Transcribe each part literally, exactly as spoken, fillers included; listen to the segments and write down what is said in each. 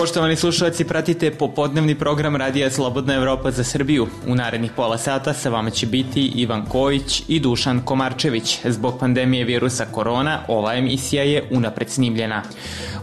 Poštovani slušalci, pratite popodnevni program Radija Slobodna Evropa za Srbiju. U narednih pola sata sa vama će biti Ivan Kojić i Dušan Komarčević. Zbog pandemije virusa korona, ova emisija je unapred snimljena.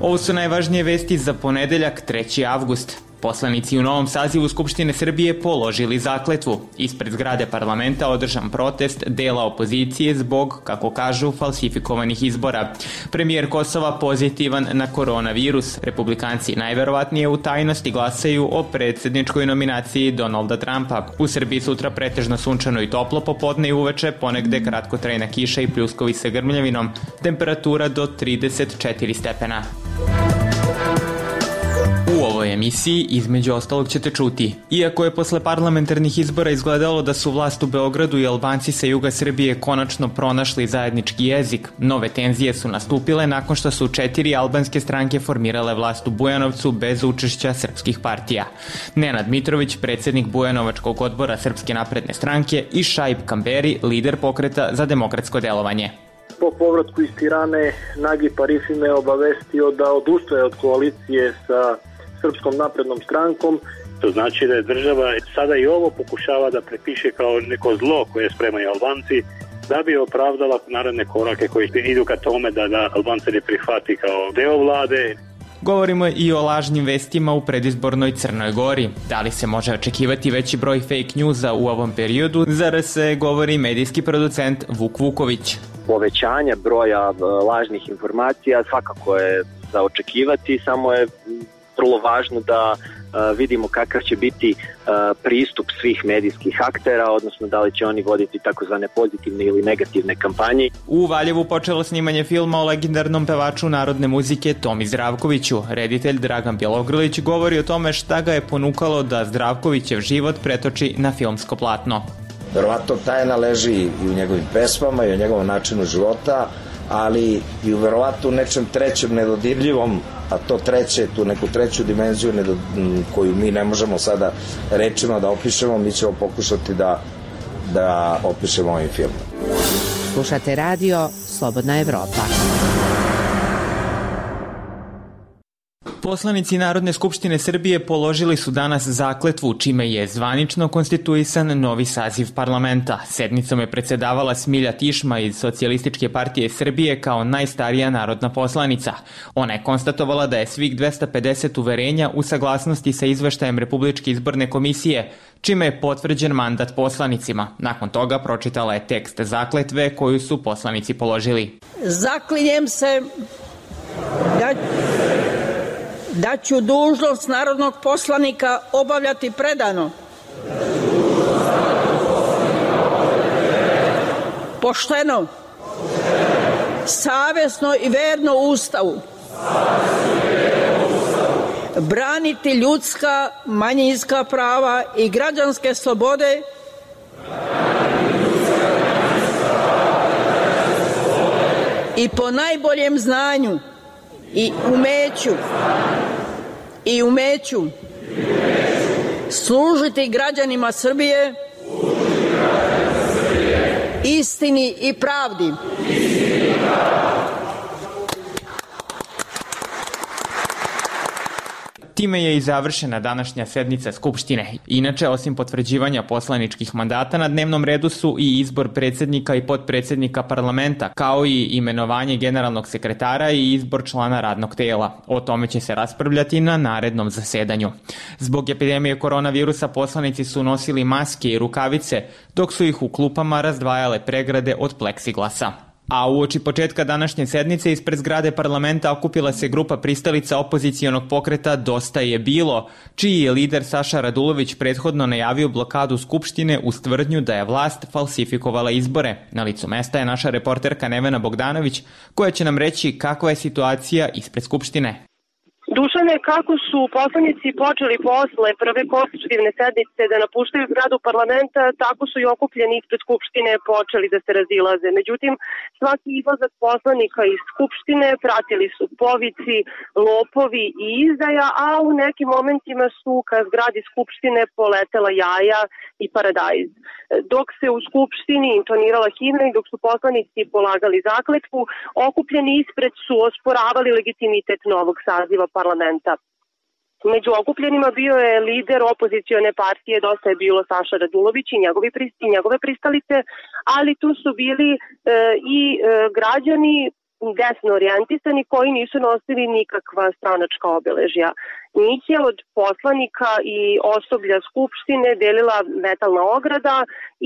Ovo su najvažnije vesti za ponedeljak, treći avgust. Poslanici u novom sazivu Skupštine Srbije položili zakletvu. Ispred zgrade parlamenta održan protest dela opozicije zbog, kako kažu, falsifikovanih izbora. Premijer Kosova pozitivan na koronavirus. Republikanci najverovatnije u tajnosti glasaju o predsjedničkoj nominaciji Donalda Trumpa. U Srbiji sutra pretežno sunčano i toplo popodne i uveče, ponegde kratkotrajna kiša i pljuskovi sa grmljavinom. Temperatura do trideset četiri stepena. U ovoj emisiji, između ostalog, ćete čuti. Iako je posle parlamentarnih izbora izgledalo da su vlast u Beogradu i Albanci sa juga Srbije konačno pronašli zajednički jezik, nove tenzije su nastupile nakon što su četiri albanske stranke formirale vlast u Bujanovcu bez učešća srpskih partija. Nenad Mitrović, predsjednik Bujanovačkog odbora Srpske napredne stranke, i Šaip Kamberi, lider pokreta za demokratsko delovanje. Po povratku iz Tirane, Nagib Arifi me obavestio da odustaje od koalicije sa Srpskom naprednom strankom. To znači da je država sada i ovo pokušava da prepiše kao neko zlo koje spremaju Albanci, da bi opravdala naredne korake koji idu ka tome da, da Albanci ne prihvati kao deo vlade. Govorimo i o lažnim vestima u predizbornoj Crnoj Gori. Da li se može očekivati veći broj fake newsa u ovom periodu? Za R S govori medijski producent Vuk Vuković. Povećanje broja lažnih informacija svakako je za očekivati, samo je vrlo važno da uh, vidimo kakav će biti uh, pristup svih medijskih aktera, odnosno da li će oni voditi takozvane pozitivne ili negativne kampanje. U Valjevu počelo snimanje filma o legendarnom pevaču narodne muzike Tomi Zdravkoviću. Reditelj Dragan Bjelogrlić govori o tome šta ga je ponukalo da Zdravkovićev život pretoči na filmsko platno. Verovatno tajna leži i u njegovim pesmama i u njegovom načinu života, ali i u verovatno nečem trećem nedodirljivom, a to treće, tu neku treću dimenziju nedo, koju mi ne možemo sada rečima da opišemo, mi ćemo pokušati da, da opišemo ovim filmom. Slušate radio Slobodna Evropa. Poslanici Narodne skupštine Srbije položili su danas zakletvu, čime je zvanično konstituisan novi saziv parlamenta. Sednicom je predsedavala Smilja Tišma iz Socijalističke partije Srbije kao najstarija narodna poslanica. Ona je konstatovala da je svih dvesta pedeset uverenja u saglasnosti sa izveštajem Republičke izborne komisije, čime je potvrđen mandat poslanicima. Nakon toga pročitala je tekst zakletve koju su poslanici položili. Zaklinjem se da... da ću dužnost narodnog poslanika obavljati predano, pošteno, savjesno i verno Ustavu, braniti ljudska, manjinska prava i građanske slobode i po najboljem znanju i umeću i umeću služiti građanima Srbije, istini i pravdi. Time je i završena današnja sednica Skupštine. Inače, osim potvrđivanja poslaničkih mandata, na dnevnom redu su i izbor predsjednika i potpredsjednika parlamenta, kao i imenovanje generalnog sekretara i izbor člana radnog tela. O tome će se raspravljati na narednom zasedanju. Zbog epidemije koronavirusa poslanici su nosili maske i rukavice, dok su ih u klupama razdvajale pregrade od pleksiglasa. A uoči početka današnje sednice ispred zgrade parlamenta okupila se grupa pristalica opozicionog pokreta Dosta je bilo, čiji je lider Saša Radulović prethodno najavio blokadu Skupštine uz tvrdnju da je vlast falsifikovala izbore. Na licu mesta je naša reporterka Nevena Bogdanović, koja će nam reći kakva je situacija ispred Skupštine. Dušane, kako su poslanici počeli posle prve konstitutivne sednice da napuštaju zgradu parlamenta, tako su i okupljeni ispred Skupštine počeli da se razilaze. Međutim, svaki izlazak poslanika iz Skupštine pratili su povici, lopovi i izdaja, a u nekim momentima su ka zgradi Skupštine poletela jaja i paradajz. Dok se u Skupštini intonirala himna i dok su poslanici polagali zakletvu, okupljeni ispred su osporavali legitimitet novog saziva parlamenta. Među okupljenima bio je lider opozicione partije Dosta je bilo Saša Radulović i njegove, i njegove pristalice, ali tu su bili e, i e, građani desno orijentisani koji nisu nosili nikakva stranačka obeležja. Njih je od poslanika i osoblja Skupštine delila metalna ograda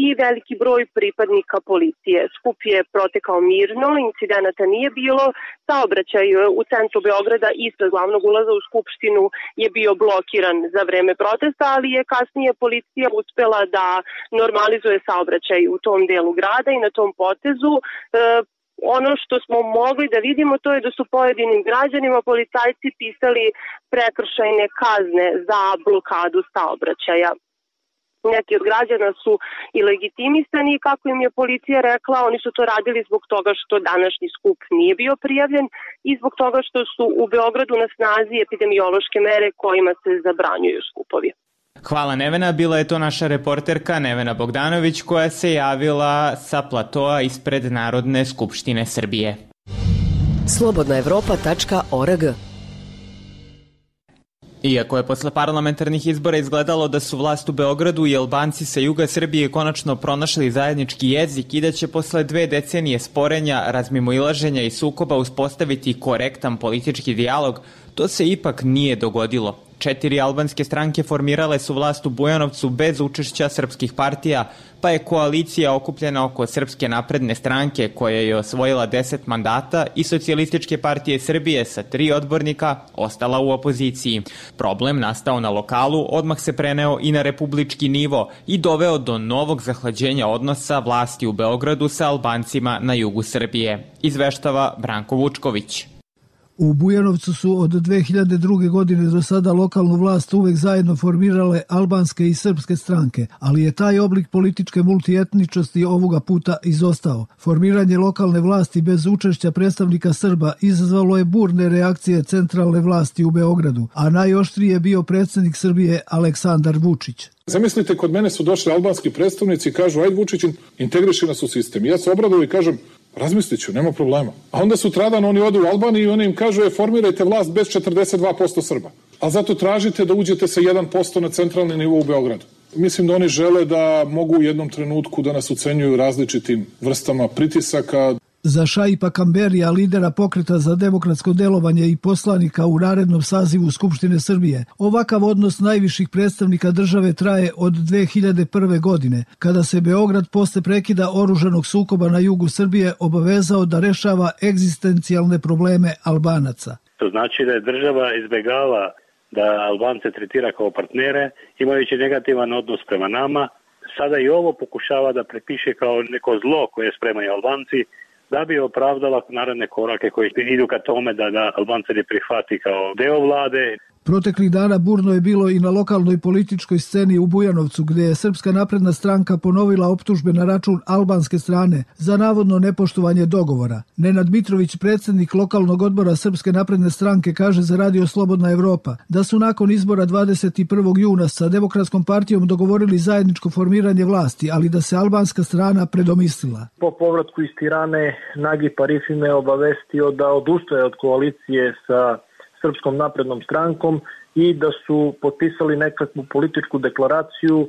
i veliki broj pripadnika policije. Skup je protekao mirno, incidenata nije bilo, saobraćaj u centru Beograda ispred glavnog ulaza u Skupštinu je bio blokiran za vreme protesta, ali je kasnije policija uspela da normalizuje saobraćaj u tom delu grada i na tom potezu. E, Ono što smo mogli da vidimo to je da su pojedinim građanima policajci pisali prekršajne kazne za blokadu saobraćaja. Neki od građana su i legitimisani, kako im je policija rekla, oni su to radili zbog toga što današnji skup nije bio prijavljen i zbog toga što su u Beogradu na snazi epidemiološke mere kojima se zabranjuju skupovi. Hvala Nevena, bila je to naša reporterka Nevena Bogdanović koja se javila sa platoa ispred Narodne skupštine Srbije. slobodna evropa tačka org. Iako je posle parlamentarnih izbora izgledalo da su vlast u Beogradu i Albanci sa juga Srbije konačno pronašli zajednički jezik i da će posle dve decenije sporenja, razmimoilaženja i sukoba uspostaviti korektan politički dijalog, to se ipak nije dogodilo. Četiri albanske stranke formirale su vlast u Bujanovcu bez učešća srpskih partija, pa je koalicija okupljena oko Srpske napredne stranke koja je osvojila deset mandata i Socijalističke partije Srbije sa tri odbornika ostala u opoziciji. Problem nastao na lokalu odmah se preneo i na republički nivo i doveo do novog zahlađenja odnosa vlasti u Beogradu sa Albancima na jugu Srbije. Izveštava Branko Vučković. U Bujanovcu su od dve hiljade druge. godine do sada lokalnu vlast uvek zajedno formirale albanske i srpske stranke, ali je taj oblik političke multietničnosti ovoga puta izostao. Formiranje lokalne vlasti bez učešća predstavnika Srba izazvalo je burne reakcije centralne vlasti u Beogradu, a najoštriji je bio predsjednik Srbije Aleksandar Vučić. Zamislite, kod mene su došli albanski predstavnici i kažu, ajde Vučić, integriši nas u sistem. Ja se obradujem i kažem, razmislit ću, nema problema. A onda sutradan oni odu u Albaniju i oni im kažu, je, formirajte vlast bez četrdeset dva posto Srba. A zato tražite da uđete sa jedan posto na centralni nivo u Beogradu. Mislim da oni žele da mogu u jednom trenutku da nas ucenjuju različitim vrstama pritisaka. Za Šaipa Kamberija, lidera pokreta za demokratsko delovanje i poslanika u narednom sazivu Skupštine Srbije, ovakav odnos najviših predstavnika države traje od dve hiljade prve. godine, kada se Beograd posle prekida oružanog sukoba na jugu Srbije obavezao da rešava egzistencijalne probleme Albanaca. To znači da je država izbegala da Albance tretira kao partnere, imajući negativan odnos prema nama. Sada i ovo pokušava da prepiše kao neko zlo koje spremaju Albanci, da bi opravdala naredne korake koji idu ka tome da, da Albance ne prihvati kao deo vlade. Proteklih dana burno je bilo i na lokalnoj političkoj sceni u Bujanovcu, gde je Srpska napredna stranka ponovila optužbe na račun albanske strane za navodno nepoštovanje dogovora. Nenad Mitrović, predsjednik lokalnog odbora Srpske napredne stranke, kaže za Radio Slobodna Evropa da su nakon izbora dvadeset prvog juna sa Demokratskom partijom dogovorili zajedničko formiranje vlasti, ali da se albanska strana predomislila. Po povratku iz Tirane, Nagip Arifi me obavestio da odustaje od koalicije sa Srpskom naprednom strankom i da su potpisali nekakvu političku deklaraciju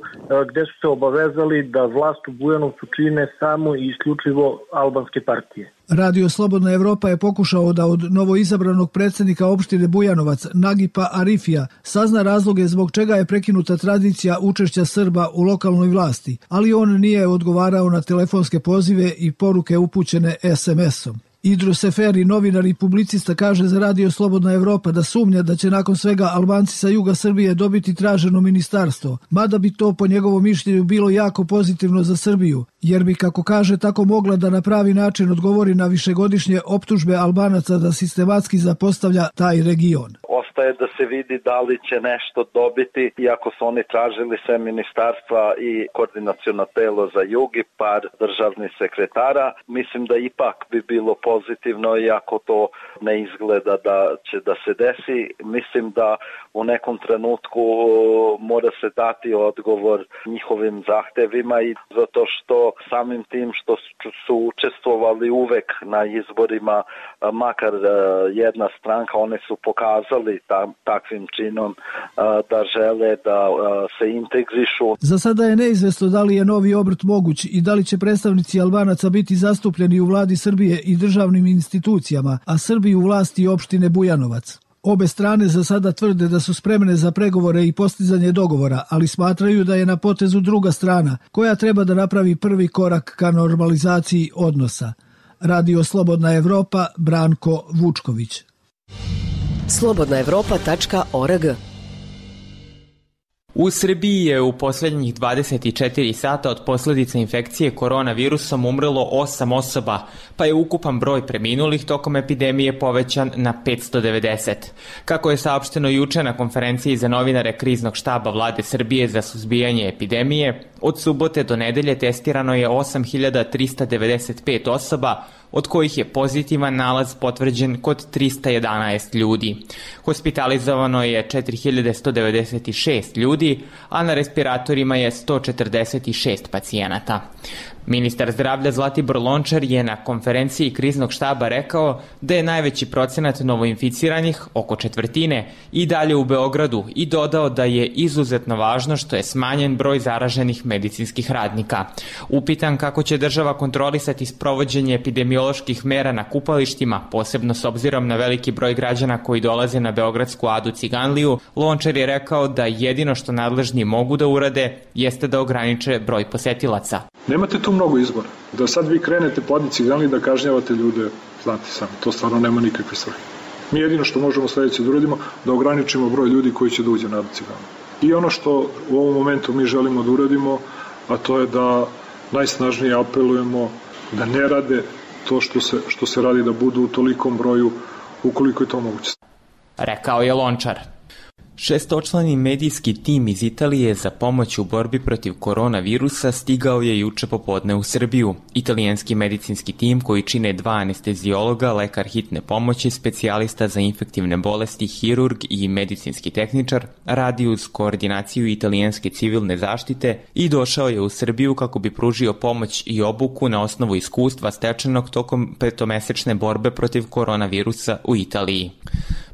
gde su se obavezali da vlast u Bujanovcu čine samo i isključivo albanske partije. Radio Slobodna Evropa je pokušao da od novoizabranog predsjednika opštine Bujanovac, Nagipa Arifija, sazna razloge zbog čega je prekinuta tradicija učešća Srba u lokalnoj vlasti, ali on nije odgovarao na telefonske pozive i poruke upućene es em esom. Idro Seferi, novinar i publicista, kaže za Radio Slobodna Evropa da sumnja da će nakon svega Albanci sa juga Srbije dobiti traženo ministarstvo, mada bi to po njegovom mišljenju bilo jako pozitivno za Srbiju, jer bi, kako kaže, tako mogla da na pravi način odgovori na višegodišnje optužbe Albanaca da sistematski zapostavlja taj region. Ostaje da se vidi da li će nešto dobiti, iako su oni tražili sve ministarstva i koordinaciono telo za jug i par državnih sekretara. Mislim da ipak bi bilo pozitivno, iako to ne izgleda da će da se desi. Mislim da u nekom trenutku mora se dati odgovor njihovim zahtevima, i zato što samim tim što su učestvovali uvek na izborima, makar jedna stranka, one su pokazali pokazali tam, takvim činom da žele da se integrišu. Za sada je neizvesno da li je novi obrt moguć i da li će predstavnici Albanaca biti zastupljeni u vladi Srbije i državnim institucijama, a Srbi u vlasti opštine Bujanovac. Obe strane za sada tvrde da su spremne za pregovore i postizanje dogovora, ali smatraju da je na potezu druga strana, koja treba da napravi prvi korak ka normalizaciji odnosa. Radio Slobodna Evropa, Branko Vučković. slobodna evropa tačka org. U Srbiji je u posljednjih dvadeset četiri sata od posljedica infekcije koronavirusom umrlo osam osoba, pa je ukupan broj preminulih tokom epidemije povećan na petsto devedeset. Kako je saopšteno juče na konferenciji za novinare Kriznog štaba Vlade Srbije za suzbijanje epidemije, od subote do nedelje testirano je osam hiljada trista devedeset pet osoba, od kojih je pozitivan nalaz potvrđen kod trista jedanaest ljudi. Hospitalizovano je četiri hiljade sto devedeset šest ljudi, a na respiratorima je sto četrdeset šest pacijenata. Ministar zdravlja Zlatibor Lončar je na konferenciji Kriznog štaba rekao da je najveći procenat novoinficiranih, oko četvrtine, i dalje u Beogradu i dodao da je izuzetno važno što je smanjen broj zaraženih medicinskih radnika. Upitan kako će država kontrolisati sprovođenje epidemioloških mera na kupalištima, posebno s obzirom na veliki broj građana koji dolaze na Beogradsku Adu Ciganliju, Lončar je rekao da jedino što nadležni mogu da urade jeste da ograniče broj posetilaca. Nemate tu mnogo izbora. Da sad vi krenete po Adi Ciganliji da kažnjavate ljude, znate sami, to stvarno nema nikakve svrhe. Mi jedino što možemo sledeće da uradimo, da ograničimo broj ljudi koji će da uđe na Adu Ciganliju. I ono što u ovom momentu mi želimo da uradimo, a to je da najsnažnije apelujemo da ne rade to što se, što se radi, da budu u tolikom broju ukoliko je to moguće. Rekao je Lončar. Šestočlani medijski tim iz Italije za pomoć u borbi protiv koronavirusa stigao je juče popodne u Srbiju. Italijanski medicinski tim koji čine dva anestezijologa, lekar hitne pomoći, specijalista za infektivne bolesti, hirurg i medicinski tehničar radi uz koordinaciju italijanske civilne zaštite i došao je u Srbiju kako bi pružio pomoć i obuku na osnovu iskustva stečenog tokom petomesečne borbe protiv koronavirusa u Italiji.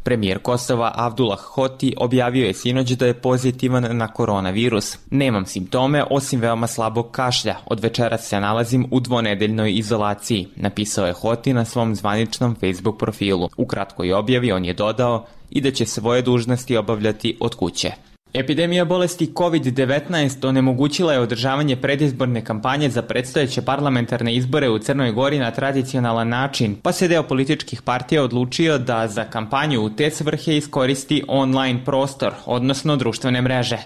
Premijer Kosova Avdullah Hoti objavio je sinoć da je pozitivan na koronavirus. Nemam simptome osim veoma slabog kašlja. Od večeras se nalazim u dvonedeljnoj izolaciji, napisao je Hoti na svom zvaničnom Facebook profilu. U kratkoj objavi on je dodao i da će svoje dužnosti obavljati od kuće. Epidemija bolesti kovid devetnaest onemogućila je održavanje predizborne kampanje za predstojeće parlamentarne izbore u Crnoj Gori na tradicionalan način, pa se deo političkih partija odlučio da za kampanju u te svrhe iskoristi online prostor, odnosno društvene mreže.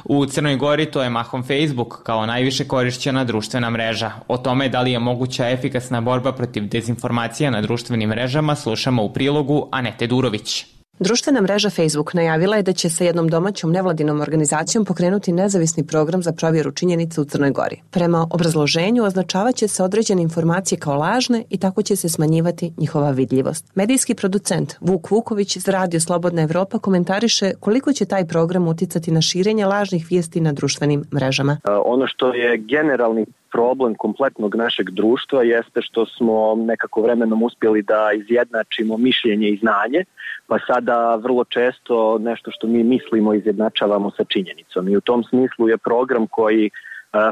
U Crnoj Gori to je mahom Facebook kao najviše korišćena društvena mreža. O tome da li je moguća efikasna borba protiv dezinformacija na društvenim mrežama slušamo u prilogu Anete Durović. Društvena mreža Facebook najavila je da će sa jednom domaćom nevladinom organizacijom pokrenuti nezavisni program za provjeru činjenica u Crnoj Gori. Prema obrazloženju označavaće se određene informacije kao lažne i tako će se smanjivati njihova vidljivost. Medijski producent Vuk Vuković iz Radio Slobodna Evropa komentariše koliko će taj program uticati na širenje lažnih vijesti na društvenim mrežama. Ono što je generalni problem kompletnog našeg društva jeste što smo nekako vremenom uspjeli da izjednačimo mišljenje i znanje, pa sada vrlo često nešto što mi mislimo izjednačavamo sa činjenicom. I u tom smislu je program koji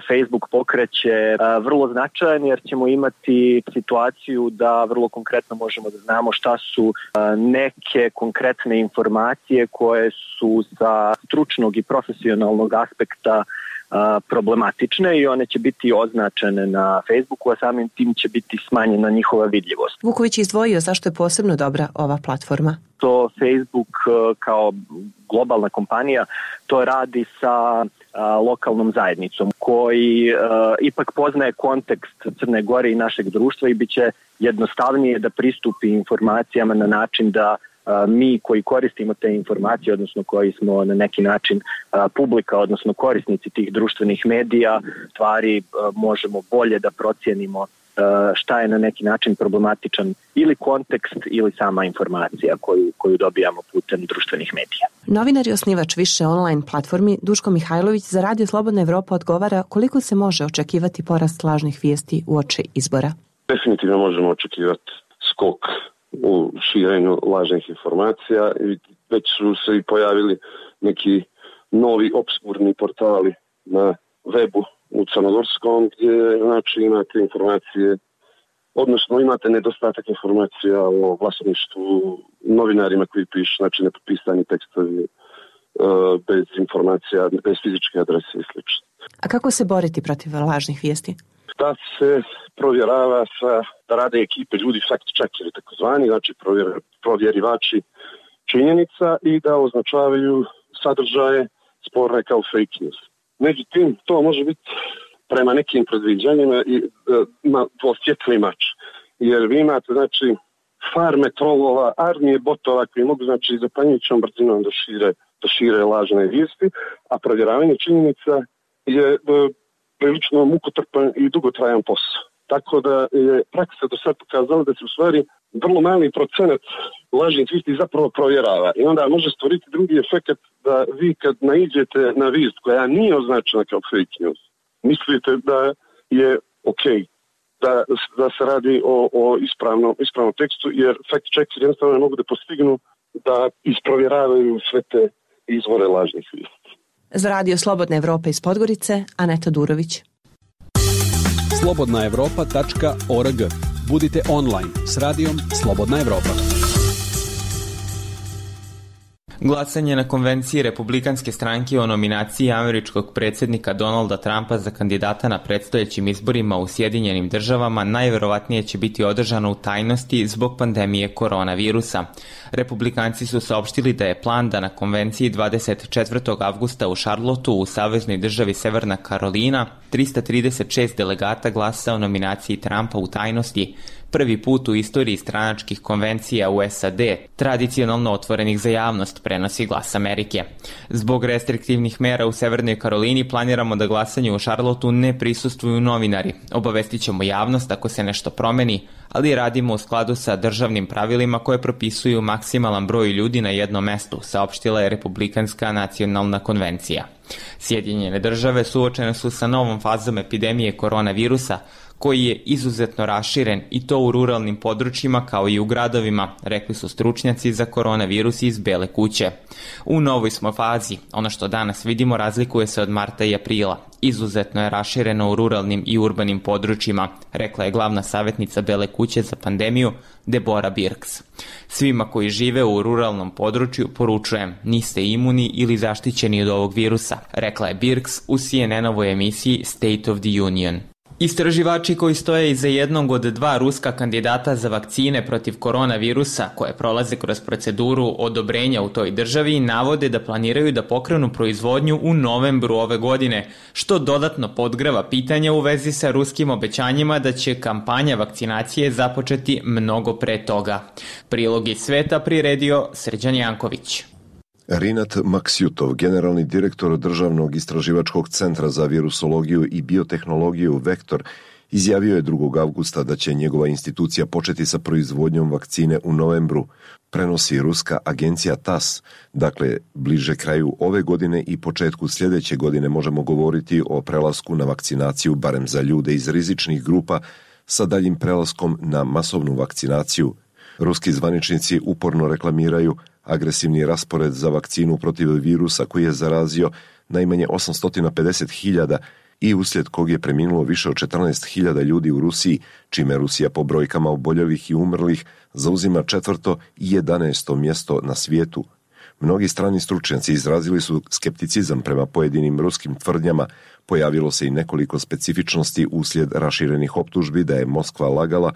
Facebook pokreće vrlo značajan jer ćemo imati situaciju da vrlo konkretno možemo da znamo šta su neke konkretne informacije koje su sa stručnog i profesionalnog aspekta problematične i one će biti označene na Facebooku, a samim tim će biti smanjena njihova vidljivost. Vuković je izdvojio zašto je posebno dobra ova platforma. To Facebook kao globalna kompanija to radi sa a, lokalnom zajednicom koji a, ipak poznaje kontekst Crne Gore i našeg društva i bit će jednostavnije da pristupi informacijama na način da mi koji koristimo te informacije, odnosno koji smo na neki način publika, odnosno korisnici tih društvenih medija, stvari možemo bolje da procijenimo šta je na neki način problematičan ili kontekst ili sama informacija koju, koju dobijamo putem društvenih medija. Novinar i osnivač više online platformi Duško Mihajlović za Radio Slobodna Evropa odgovara koliko se može očekivati porast lažnih vijesti uoči izbora. Definitivno možemo očekivati skok u širenju lažnih informacija i već su se i pojavili neki novi obskurni portali na webu u crnogorskom gdje znači imate informacije, odnosno imate nedostatak informacija o vlasništvu, novinarima koji pišu, znači nepotpisani tekstovi bez informacija, bez fizičke adrese i sl. A kako se boriti protiv lažnih vijesti? Da se provjerava sa, da rade ekipe ljudi fact-checkeri takozvani, znači provjer, provjerivači činjenica i da označavaju sadržaje sporne kao fake news. Međutim, to može biti prema nekim predviđanjima i na dvosvjetli mač. Jer vi imate, znači, farme trolova, armije botova koji mogu, znači, zapanjujućom brzinom da šire, da šire lažne vijesti, a provjeravanje činjenica je prilično mukotrpan i dugotrajan posao. Tako da je praksa do sad pokazala da se u stvari vrlo mali procenat lažnih vijesti zapravo provjerava. I onda može stvoriti drugi efekt da vi kad naiđete na vijest koja nije označena kao fake news, mislite da je ok, da, da se radi o, o ispravnom, ispravnom tekstu, jer fact-checkeri jednostavno ne mogu da postignu da isprovjeravaju sve te izvore lažnih vijesti. Za Radio Slobodna Evropa iz Podgorice, Aneta Durović. slobodna evropa tačka org. Budite online s radijom Slobodna Evropa. Glasanje na konvenciji Republikanske stranke o nominaciji američkog predsjednika Donalda Trumpa za kandidata na predstojećim izborima u Sjedinjenim državama najverovatnije će biti održano u tajnosti zbog pandemije koronavirusa. Republikanci su saopštili da je plan da na konvenciji dvadeset četvrtog avgusta u Charlotteu u saveznoj državi Severna Karolina trista trideset šest delegata glasa o nominaciji Trumpa u tajnosti, prvi put u istoriji stranačkih konvencija u S A D, tradicionalno otvorenih za javnost, prenosi Glas Amerike. Zbog restriktivnih mera u Severnoj Karolini planiramo da glasanju u Charlotteu ne prisustvuju novinari. Obavestit ćemo javnost ako se nešto promeni, ali radimo u skladu sa državnim pravilima koje propisuju maksimalan broj ljudi na jednom mestu, saopštila je Republikanska nacionalna konvencija. Sjedinjene države suočene su sa novom fazom epidemije koronavirusa, koji je izuzetno raširen i to u ruralnim područjima kao i u gradovima, rekli su stručnjaci za koronavirus iz Bele kuće. U novoj smo fazi, ono što danas vidimo razlikuje se od marta i aprila. Izuzetno je rašireno u ruralnim i urbanim područjima, rekla je glavna savjetnica Bele kuće za pandemiju Deborah Birx. Svima koji žive u ruralnom području poručujem, niste imuni ili zaštićeni od ovog virusa, rekla je Birx u C N N-ovoj emisiji State of the Union. Istraživači koji stoje iza jednog od dva ruska kandidata za vakcine protiv koronavirusa koje prolaze kroz proceduru odobrenja u toj državi navode da planiraju da pokrenu proizvodnju u novembru ove godine, što dodatno podgreva pitanja u vezi sa ruskim obećanjima da će kampanja vakcinacije započeti mnogo pre toga. Prilog iz sveta priredio Srđan Janković. Rinat Maksjutov, generalni direktor Državnog istraživačkog centra za virusologiju i biotehnologiju Vektor, izjavio je drugog avgusta da će njegova institucija početi sa proizvodnjom vakcine u novembru, prenosi ruska agencija T A S. Dakle, bliže kraju ove godine i početku sljedeće godine možemo govoriti o prelasku na vakcinaciju barem za ljude iz rizičnih grupa sa daljim prelaskom na masovnu vakcinaciju. Ruski zvaničnici uporno reklamiraju agresivni raspored za vakcinu protiv virusa koji je zarazio najmanje osamsto pedeset hiljada i uslijed kog je preminulo više od četrnaest hiljada ljudi u Rusiji, čime Rusija po brojkama oboljelih i umrlih zauzima četvrto i jedanaesto mjesto na svijetu. Mnogi strani stručnjaci izrazili su skepticizam prema pojedinim ruskim tvrdnjama. Pojavilo se i nekoliko specifičnosti uslijed raširenih optužbi da je Moskva lagala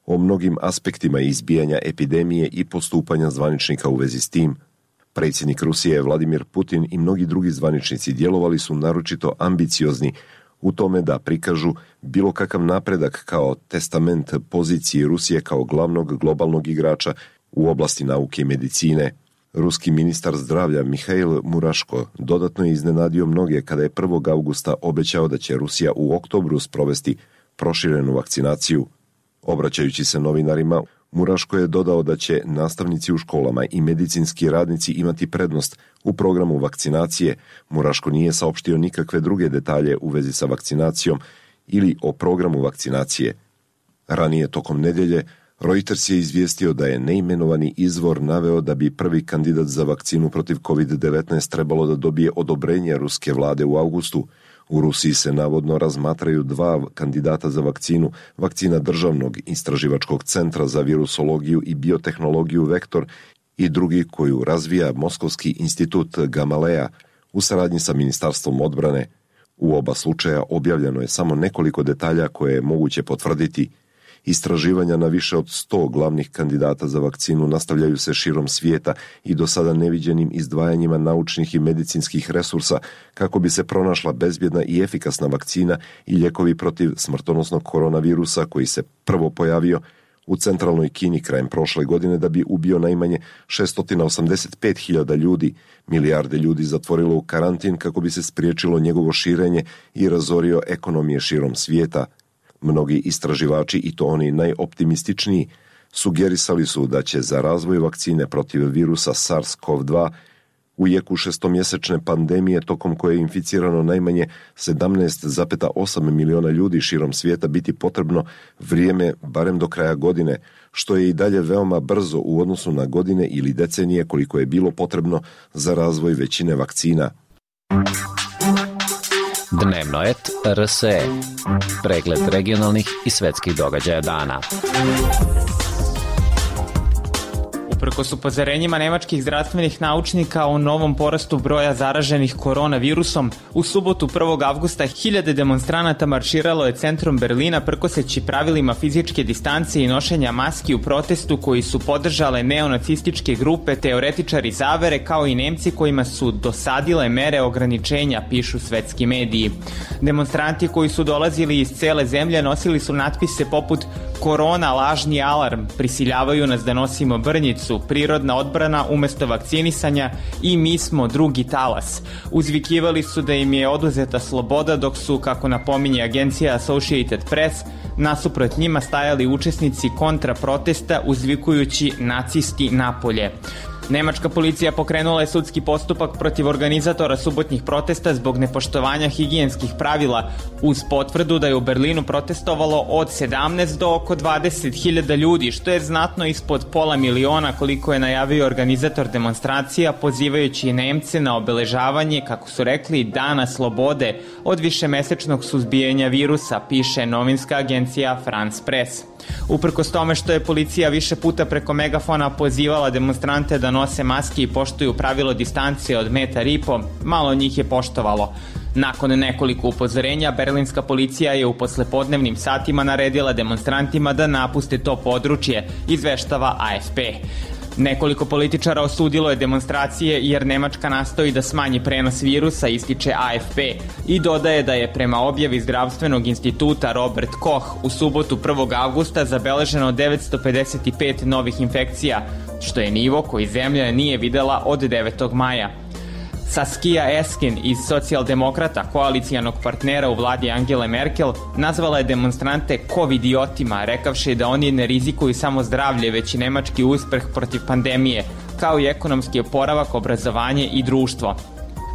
o mnogim aspektima izbijanja epidemije i postupanja zvaničnika u vezi s tim. Predsjednik Rusije Vladimir Putin i mnogi drugi zvaničnici djelovali su naročito ambiciozni u tome da prikažu bilo kakav napredak kao testament poziciji Rusije kao glavnog globalnog igrača u oblasti nauke i medicine. Ruski ministar zdravlja Mihail Muraško dodatno je iznenadio mnoge kada je prvog avgusta obećao da će Rusija u oktobru sprovesti proširenu vakcinaciju. Obraćajući se novinarima, Muraško je dodao da će nastavnici u školama i medicinski radnici imati prednost u programu vakcinacije. Muraško nije saopštio nikakve druge detalje u vezi sa vakcinacijom ili o programu vakcinacije. Ranije tokom nedjelje, Reuters je izvijestio da je neimenovani izvor naveo da bi prvi kandidat za vakcinu protiv kovid devetnaest trebalo da dobije odobrenje ruske vlade u avgustu. U Rusiji se navodno razmatraju dva kandidata za vakcinu, vakcina Državnog istraživačkog centra za virusologiju i biotehnologiju Vektor i drugi koju razvija Moskovski institut Gamaleja u saradnji sa Ministarstvom odbrane. U oba slučaja objavljeno je samo nekoliko detalja koje je moguće potvrditi. Istraživanja na više od sto glavnih kandidata za vakcinu nastavljaju se širom svijeta i do sada neviđenim izdvajanjima naučnih i medicinskih resursa kako bi se pronašla bezbjedna i efikasna vakcina i lijekovi protiv smrtonosnog koronavirusa koji se prvo pojavio u centralnoj Kini krajem prošle godine da bi ubio najmanje šesto osamdeset pet hiljada ljudi. Milijarde ljudi zatvorilo u karantin kako bi se spriječilo njegovo širenje i razorio ekonomije širom svijeta. Mnogi istraživači, i to oni najoptimističniji, sugerisali su da će za razvoj vakcine protiv virusa SARS-CoV dva u jeku šestomjesečne pandemije tokom koje je inficirano najmanje sedamnaest zarez osam miliona ljudi širom svijeta biti potrebno vrijeme barem do kraja godine, što je i dalje veoma brzo u odnosu na godine ili decenije koliko je bilo potrebno za razvoj većine vakcina. Dnevnoet R S E. Pregled regionalnih i svetskih događaja dana. Uprkos upozorenjima nemačkih zdravstvenih naučnika o novom porastu broja zaraženih koronavirusom, u subotu prvog avgusta hiljade demonstranata marširalo je centrom Berlina prkoseći pravilima fizičke distancije i nošenja maski u protestu koji su podržale neonacističke grupe, teoretičari zavere kao i Nemci kojima su dosadile mere ograničenja, pišu svetski mediji. Demonstranti koji su dolazili iz cele zemlje nosili su natpise poput "Korona, lažni alarm, prisiljavaju nas da nosimo brnjicu, prirodna odbrana umesto vakcinisanja i mi smo drugi talas." Uzvikivali su da im je oduzeta sloboda dok su, kako napominje agencija Associated Press, nasuprot njima stajali učesnici kontra protesta uzvikujući "nacisti napolje". Nemačka policija pokrenula je sudski postupak protiv organizatora subotnjih protesta zbog nepoštovanja higijenskih pravila, uz potvrdu da je u Berlinu protestovalo od sedamnaest do oko dvadeset hiljada ljudi, što je znatno ispod pola miliona koliko je najavio organizator demonstracija, pozivajući Nemce na obeležavanje, kako su rekli, Dana slobode od višemesečnog suzbijanja virusa, piše novinska agencija France Press. Uprkos tome što je policija više puta preko megafona pozivala demonstrante da nose maske i poštuju pravilo distancije od metar i po, malo njih je poštovalo. Nakon nekoliko upozorenja, berlinska policija je u poslepodnevnim satima naredila demonstrantima da napuste to područje, izveštava A F P. Nekoliko političara osudilo je demonstracije jer Nemačka nastoji da smanji prenos virusa, ističe A F P, i dodaje da je prema objavi zdravstvenog instituta Robert Koch u subotu prvog avgusta zabeleženo devetsto pedeset pet novih infekcija, što je nivo koji zemlja nije videla od devetog maja. Saskia Esken iz Socijaldemokrata, koalicijanog partnera u vladi Angele Merkel, nazvala je demonstrante covidiotima, rekavši da oni ne rizikuju samo zdravlje, već i nemački uspeh protiv pandemije, kao i ekonomski oporavak, obrazovanje i društvo.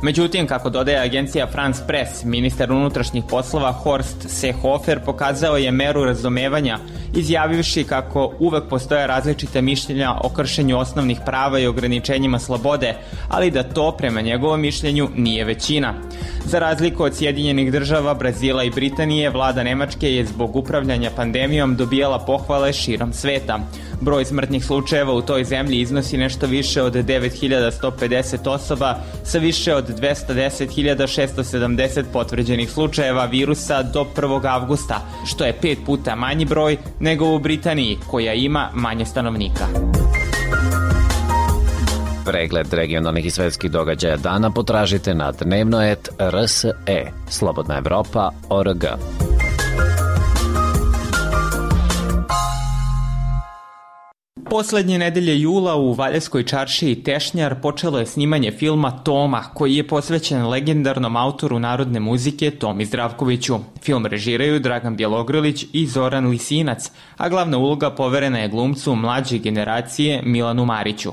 Međutim, kako dodaje agencija France Press, ministar unutrašnjih poslova Horst Seehofer pokazao je meru razumevanja, izjavivši kako uvek postoje različite mišljenja o kršenju osnovnih prava i ograničenjima slobode, ali da to, prema njegovom mišljenju, nije većina. Za razliku od Sjedinjenih država, Brazila i Britanije, vlada Nemačke je zbog upravljanja pandemijom dobijala pohvale širom sveta. Broj smrtnih slučajeva u toj zemlji iznosi nešto više od devet hiljada sto pedeset osoba sa više od dvesta deset hiljada šesto sedamdeset potvrđenih slučajeva virusa do prvog avgusta, što je pet puta manji broj nego u Britaniji, koja ima manje stanovnika. Pregled regionalnih i svetskih događaja dana potražite na dnevnoet R S E, Slobodna Evropa, O R G. Poslednje nedelje jula u Valjevskoj čaršiji Tešnjar počelo je snimanje filma Toma, koji je posvećen legendarnom autoru narodne muzike Tomi Zdravkoviću. Film režiraju Dragan Bjelogrlić i Zoran Lisinac, a glavna uloga poverena je glumcu mlađe generacije Milanu Mariću.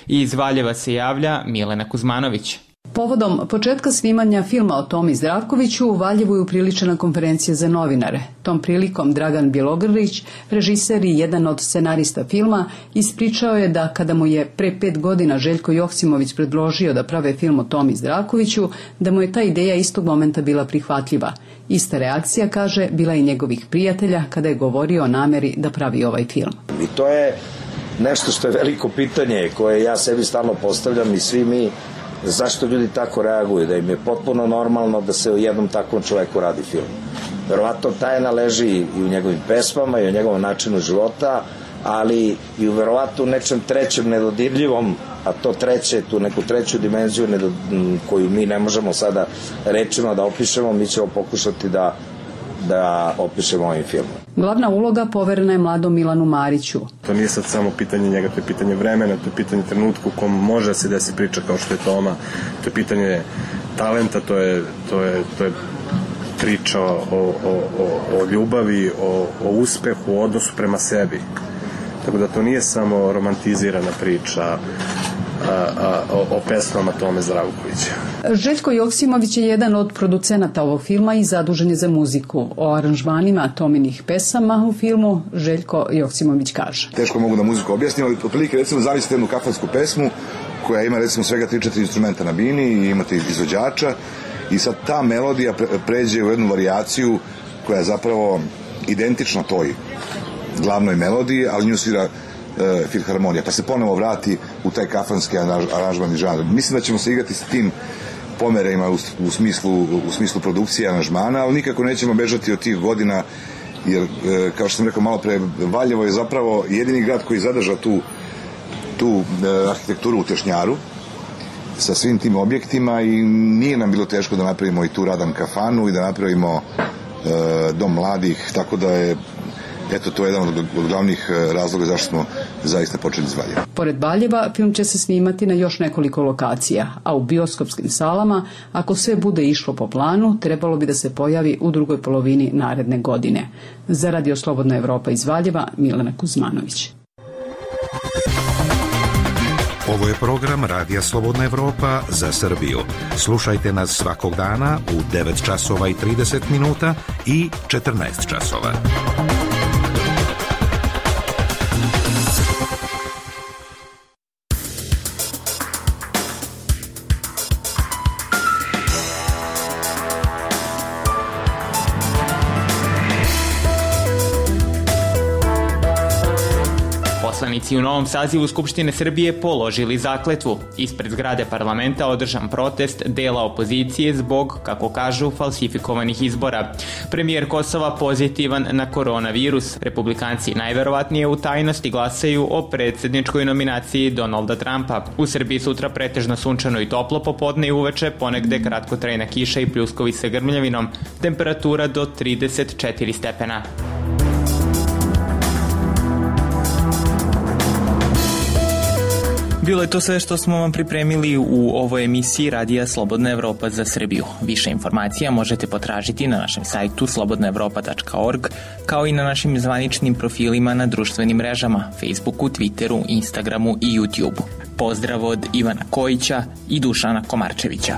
Iz Valjeva se javlja Milena Kuzmanović. Povodom početka snimanja filma o Tomi Zdravkoviću u Valjevu je upriličena konferencija za novinare. Tom prilikom Dragan Bjelogrlić, režiser i jedan od scenarista filma, ispričao je da kada mu je pre pet godina Željko Joksimović predložio da prave film o Tomi Zdravkoviću, da mu je ta ideja istog momenta bila prihvatljiva. Ista reakcija, kaže, bila i njegovih prijatelja kada je govorio o nameri da pravi ovaj film. I to je nešto što je veliko pitanje koje ja sebi stalno postavljam i svi mi, zašto ljudi tako reaguju, da im je potpuno normalno da se o jednom takvom čoveku radi film. Verovatno tajna leži i u njegovim pesmama i u njegovom načinu života, ali i u verovatno nečem trećem nedodirljivom, a to treće, tu neku treću dimenziju nedod... koju mi ne možemo sada rečima da opišemo, mi ćemo pokušati da da opišemo ovim filmom. Glavna uloga poverena je mladom Milanu Mariću. To nije sad samo pitanje njega, to je pitanje vremena, to je pitanje trenutka u kom može da se desi priča kao što je Toma, to je pitanje talenta, to je, to je, to je priča o, o, o, o ljubavi, o, o uspehu, o odnosu prema sebi. Tako da to nije samo romantizirana priča A, a, o, o pesmama Tome Zdravkovića. Željko Joksimović je jedan od producenata ovog filma i zadužen je za muziku. O aranžmanima Tominih pesama u filmu Željko Joksimović kaže: Teško mogu da muziku objasnim, ali otprilike recimo zamislite jednu kafansku pesmu koja ima recimo svega tri četiri instrumenta na bini i imate izvođača i sad ta melodija pre, pređe u jednu varijaciju koja je zapravo identična toj glavnoj melodiji, ali nju svira Uh, filharmonija, pa se ponovo vrati u taj kafanski aranžman i žanr. Mislim da ćemo se igrati sa tim pomerima u, u, smislu, u smislu produkcije aranžmana, ali nikako nećemo bežati od tih godina, jer, uh, kao što sam rekao malo pre, Valjevo je zapravo jedini grad koji zadrža tu, tu uh, arhitekturu u Tešnjaru sa svim tim objektima i nije nam bilo teško da napravimo i tu Radan kafanu i da napravimo uh, dom mladih, tako da je eto, to je jedan od, od glavnih razloga zašto smo zaista počeli iz Valjeva. Pored Valjeva, film će se snimati na još nekoliko lokacija, a u bioskopskim salama, ako sve bude išlo po planu, trebalo bi da se pojavi u drugoj polovini naredne godine. Za Radio Slobodna Evropa iz Valjeva, Milena Kuzmanović. Ovo je program Radija Slobodna Evropa za Srbiju. Slušajte nas svakog dana u devet časova i trideset minuta i četrnaest časova. Poslanici u novom sazivu Skupštine Srbije položili zakletvu. Ispred zgrade parlamenta održan protest dela opozicije zbog, kako kažu, falsifikovanih izbora. Premijer Kosova pozitivan na koronavirus. Republikanci najverovatnije u tajnosti glasaju o predsjedničkoj nominaciji Donalda Trumpa. U Srbiji sutra pretežno sunčano i toplo popodne i uveče, ponegde kratkotrajna kiša i pljuskovi sa grmljavinom. Temperatura do trideset četiri stepena. Bilo je to sve što smo vam pripremili u ovoj emisiji Radija Slobodna Evropa za Srbiju. Više informacija možete potražiti na našem sajtu slobodna evropa tačka org, kao i na našim zvaničnim profilima na društvenim mrežama, Facebooku, Twitteru, Instagramu i YouTubeu. Pozdrav od Ivana Kojića i Dušana Komarčevića.